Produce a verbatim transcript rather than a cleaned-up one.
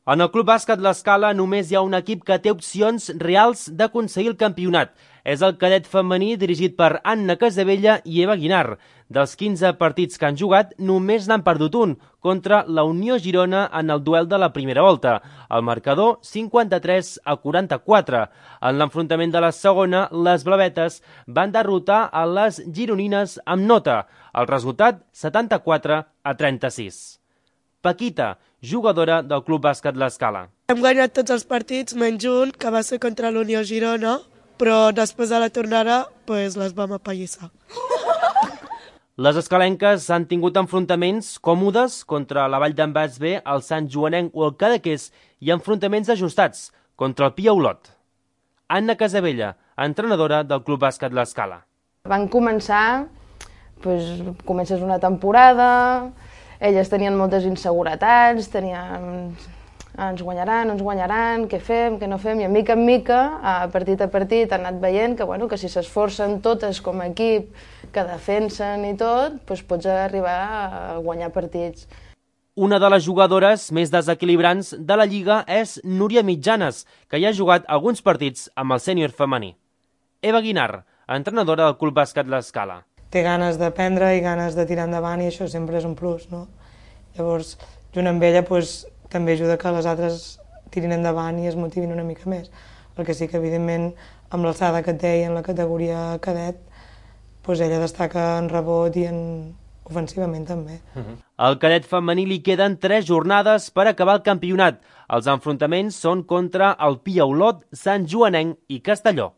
En el Club Bàsquet L'Escala només hi ha un equip que té opcions reals d'aconseguir el campionat. És el cadet femení dirigit per Anna Casabella i Eva Guinar. Dels quinze partits que han jugat, només n'han perdut un, contra la Unió Girona en el duel de la primera volta. El marcador, cinquanta-tres a quaranta-quatre. En l'enfrontament de la segona, les blavetes van derrotar a les gironines amb nota. El resultat, setanta-quatre a trenta-sis. Paquita, jugadora del Club Bàsquet L'Escala. Hem guanyat tots els partits, menys un, que va ser contra l'Unió Girona, però després de la tornada pues, les vam apallissar. Les escalenques han tingut enfrontaments còmodes contra la Vall d'en Bas B, el Sant Joanenc o el Cadaqués i enfrontaments ajustats contra el Pia Olot. Anna Casabella, entrenadora del Club Bàsquet L'Escala. Van començar, pues, comences una temporada, elles tenien moltes inseguretats, tenien... ens guanyaran, ens guanyaran, què fem, què no fem, i a mica en mica, a partit a partit, han anat veient que, bueno, que si s'esforcen totes com a equip, que defensen i tot, doncs pots arribar a guanyar partits. Una de les jugadores més desequilibrants de la Lliga és Núria Mitjanes, que ja ha jugat alguns partits amb el sènior femení. Eva Guinar, entrenadora del Club Bàsquet L'Escala. Té ganes d'aprendre i ganes de tirar endavant i això sempre és un plus, no? Llavors, junt amb ella, doncs, també ajuda que les altres tirin endavant i es motivin una mica més. El que sí que, evidentment, amb l'alçada que té i en la categoria cadet, doncs ella destaca en rebot i en ofensivament també. Al cadet femení li queden tres jornades per acabar el campionat. Els enfrontaments són contra el Pia Olot, Sant Joanenc i Castelló.